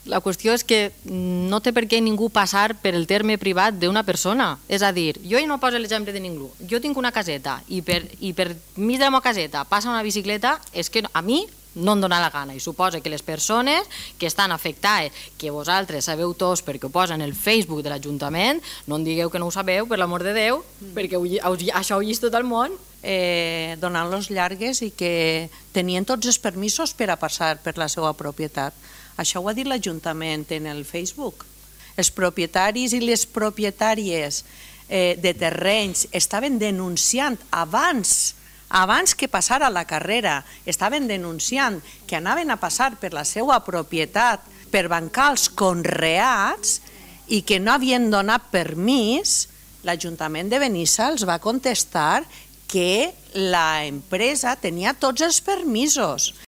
La qüestió és que no té per què ningú passar per el terme privat d'una persona. És a dir, jo no poso l'exemple de ningú. Jo tinc una caseta i per mig de la meva caseta passa una bicicleta, és que a mi no em dóna la gana. I suposa que les persones que estan afectades, que vosaltres sabeu tots perquè ho posen en el Facebook de l'Ajuntament, no em digueu que no ho sabeu, per l'amor de Déu, perquè això ho vist tot el món. Donant-los llargues i que tenien tots els permisos per a passar per la seva propietat. Això ho ha dit l'Ajuntament en el Facebook. Els propietaris i les propietàries de terrenys estaven denunciant abans que passara la carrera, estaven denunciant que anaven a passar per la seva propietat per bancar els conreats i que no havien donat permís. L'Ajuntament de Benissa els va contestar que l'empresa tenia tots els permisos.